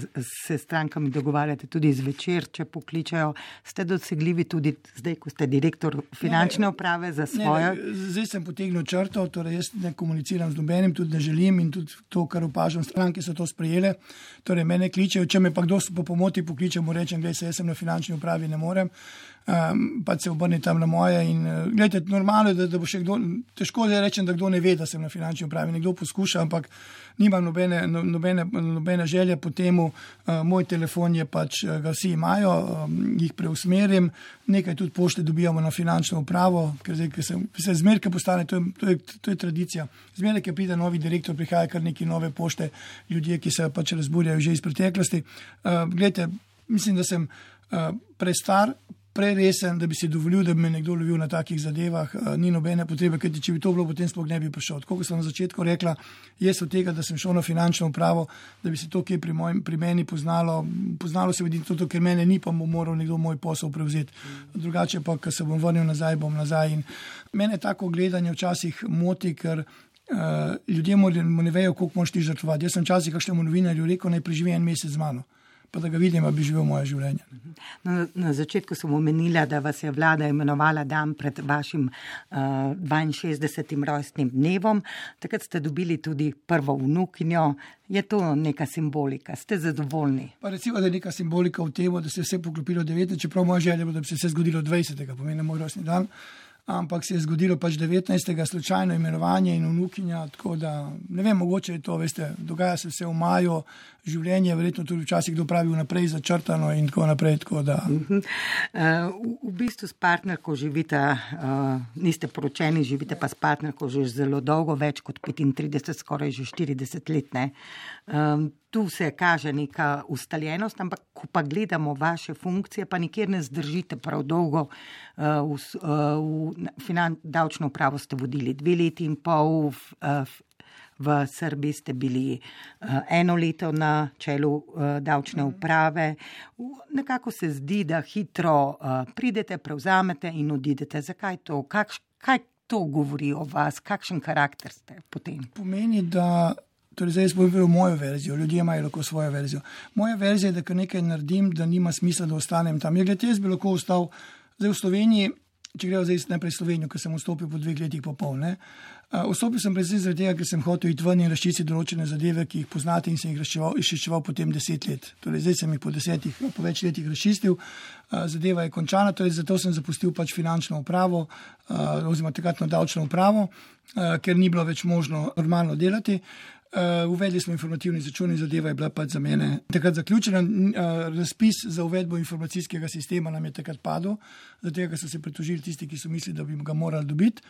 se strankami dogovarjate tudi zvečer, če pokličajo. Ste dosegljivi tudi zdaj, ko ste direktor finančne uprave za svojo? Ne, ne, zdaj sem potegnil črto, torej jaz ne komuniciram z nobenim, tudi ne želim in tudi to, kar opažam, stranke so to sprejele. Torej mene kličejo, če me pa kdo po pomoti pokliče, mu rečem, gledaj se, jaz sem na finančni upravi, ne morem. Um, pa se obrni tam na moje in uh, gledajte, normalno je, da, da bo še kdo, težko je rečem, da kdo ne ve, da sem na finančni upravi, nekdo poskuša, ampak nimam nobene, no, nobene, nobene želje po temu, uh, moj telefon je pač, uh, ga vsi imajo, um, jih preusmerim, nekaj tudi pošte dobijamo na finančno upravo, ker zdaj, ker se, se zmerke postane, to je, to je, to je tradicija. Zmerke, ki pride novi direktor, prihaja kar neki nove pošte, ljudje, ki se pač razburjajo že iz preteklosti. Uh, gledajte, mislim, da sem uh, prestar, preresen, da bi si dovolil, da bi me nekdo lovil na takih zadevah, ni nobene potrebe, ker če bi to bilo, potem sploh ne bi prišel. Tako kot sem na začetku rekla, jaz od tega, da sem šel na finančno upravo, da bi se to, ki je pri, moj, pri meni poznalo, poznalo se vidi to, ker mene ni, pa bo moral nekdo moj posel prevzeti. Drugače pa, ko se bom vrnil nazaj, bom nazaj. In mene tako gledanje včasih moti, ker uh, ljudje ne vejo, koliko moraš ti žrtvovati. Jaz sem včasih kakšnemu novinarju rekel, naj preživi en mesec z mano, pa da ga vidim, da bi živel moje življenje. Na, na začetku sem omenila, da vas je vlada imenovala dan pred vašim uh, dvainšestdesetim rojstnim dnevom. Takrat ste dobili tudi prvo vnukinjo. Je to neka simbolika? Ste zadovoljni? Pa recimo, da je neka simbolika v tem, da se je vse poklopilo devetnajstega, čeprav moja želja je, da bi se vse zgodilo dvajsetega, pomeni moj rojstni dan. Ampak se je zgodilo pač devetnajstega slučajno imenovanje in vnukinja, tako da ne vem, mogoče je to, veste, dogaja se vse v maju, življenje je verjetno tudi včasih kdo pravi vnaprej začrtano in tako naprej, tako da. Uh-huh. Uh, v, v bistvu s partnerko živite, uh, niste poročeni, živite pa s partnerko že zelo dolgo, več kot petintrideset, skoraj že štirideset let, ne. Um, tu se kaže neka ustaljenost, ampak ko pa gledamo vaše funkcije, pa nikjer ne zdržite prav dolgo. Uh, v, uh, v finan, davčno upravo ste vodili dve leti in pol, v, uh, v Srbiji ste bili uh, eno leto na čelu uh, davčne uprave. V, nekako se zdi, da hitro uh, pridete, prevzamete in odidete. Zakaj to? Kakš, kaj to govori o vas? Kakšen karakter ste potem? Pomeni, da Torej, zdaj sem povedal mojo verzijo, ljudje imajo lahko svojo verzijo. Moja verzija je, da kar nekaj naredim, da nima smisla, da ostanem tam. Jaz, jaz bi lahko ostal zdaj v Sloveniji, če gremo zdaj najprej Slovenijo, ker sem vstopil po dveh letih pa pol. Ne? Uh, vstopil sem predvsem zaradi tega, ker sem hotel iti ven in razčistiti določene zadeve, ki jih poznate in sem jih izčiščeval potem deset let. Torej, zdaj sem jih po desetih, po več letih razčistil. Uh, zadeva je končana, torej zato sem zapustil pač finančno upravo, uh, oziroma takratno davčno upravo, uh, ker ni bilo več možno normalno delati. Uh, uvedli smo informativni začun in zadeva je bila pač za mene takrat zaključena. Uh, razpis za uvedbo informacijskega sistema nam je takrat padel, zato ker so se pritožili tisti, ki so mislili, da bi ga morali dobiti.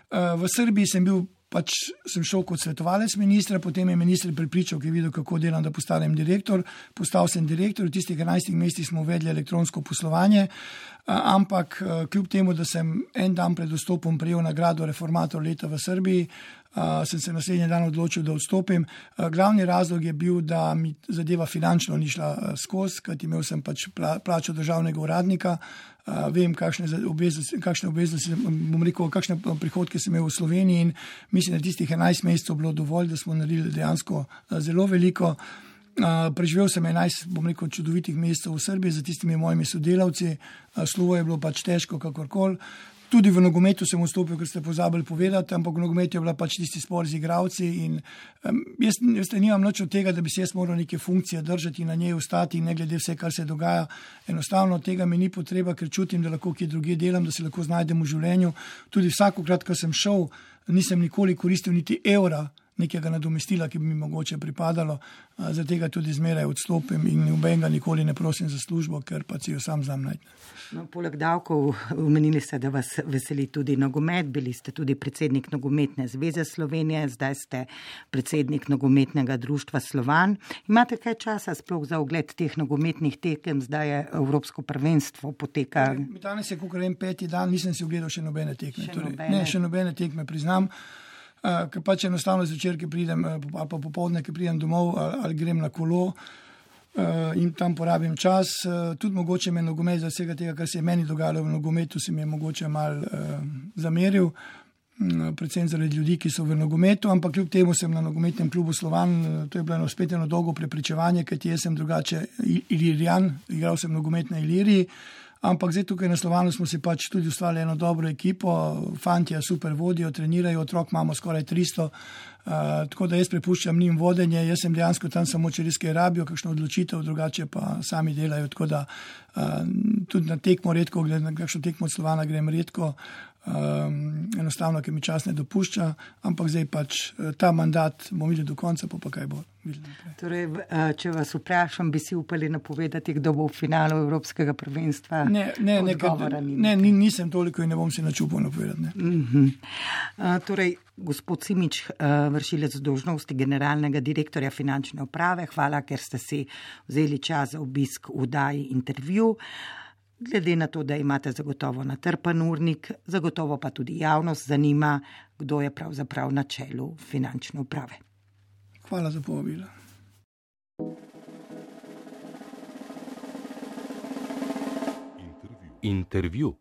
Uh, v Srbiji sem bil pač, sem šel kot svetovalec ministra, potem je minister prepričal, ki je videl, kako delam, da postanem direktor. Postal sem direktor, v tistih enajstih mesecih smo uvedli elektronsko poslovanje, uh, ampak uh, kljub temu, da sem en dan pred vstopom prejel nagrado Reformator leta v Srbiji, Uh, sem se naslednji dan odločil, da odstopim. Uh, glavni razlog je bil, da mi zadeva finančno ni šla uh, skozi, kajti imel sem pač pla, plačo državnega uradnika, uh, vem, kakšne obveznosti, kakšne obveznosti, bom rekel, kakšne prihodke sem imel v Sloveniji in mislim, da tistih enajst mesecev bilo dovolj, da smo naredili dejansko uh, zelo veliko. Uh, preživel sem enajst, bom rekel, čudovitih mesecev v Srbiji za tistimi mojimi sodelavci. Uh, slovo je bilo pač težko, kakorkoli. Tudi v nogometu sem vstopil, ker ste pozabili povedati, ampak v nogometu je bila pač tisti spor z igralci in um, jaz, jaz nimam nič od tega, da bi se jaz moral neke funkcije držati in na njej ostati in ne glede vse, kar se dogaja. Enostavno tega mi ni potreba, ker čutim, da lahko kje druge delam, da se lahko znajdem v življenju. Tudi vsakokrat, ko sem šel, nisem nikoli koristil niti evra nekega nadomestila, ki bi mi mogoče pripadalo, zaradi tega tudi zmeraj odstopim in nobenega nikoli ne prosim za službo, ker pa si jo sam znam najti. No, poleg davkov omenili ste, da vas veseli tudi nogomet, bili ste tudi predsednik Nogometne zveze Slovenije, zdaj ste predsednik Nogometnega društva Slovan. Imate kaj časa sploh za ogled teh nogometnih tekem, zdaj je Evropsko prvenstvo poteka? Mi danes je kakor en peti dan, nisem si ogledal še nobene tekme. Še torej, nobene. Ne, še nobene tekme, priznam. Uh, ker pač enostavno zvečer, ki pridem, uh, ali pa popoldne, ki pridem domov, ali, ali grem na kolo uh, in tam porabim čas. Uh, tudi mogoče me nogomet za vsega tega, kar se je meni dogajalo v nogometu, si mi je mogoče mal uh, zameril. predvsem zaradi ljudi, ki so v nogometu, ampak kljub temu sem na nogometnem klubu Slovan, to je bilo eno spet eno dolgo prepričevanje, kajti jaz sem drugače Ilirijan, igral sem nogomet na Iliriji, ampak zdaj tukaj na Slovanu smo si pač tudi ustvarili eno dobro ekipo, fantje super vodijo, trenirajo, otrok imamo skoraj tristo, uh, tako da jaz prepuščam njim vodenje, jaz sem dejansko tam samo, če res kaj rabijo, kakšno odločitev, drugače pa sami delajo, tako da uh, tudi na tekmo redko, na kakšno tekmo od Slovana grem redko, Um, enostavno, ker mi čas ne dopušča, ampak zdaj pač ta mandat bomo videli do konca, pa pa kaj bo. Torej, če vas vprašam, bi si upali napovedati, kdo bo v finalu Evropskega prvenstva? Ne, ne, ne, ne nisem toliko in ne bom si načupal napovedati. Ne. Uh-huh. Uh, torej, gospod Simič, uh, vršilec dolžnosti generalnega direktorja finančne uprave, hvala, ker ste si vzeli čas za obisk v oddaji Intervju. Glede na to, da imate zagotovo natrpan urnik, zagotovo pa tudi javnost zanima, kdo je pravzaprav na čelu finančne uprave. Hvala za povabilo. Intervju.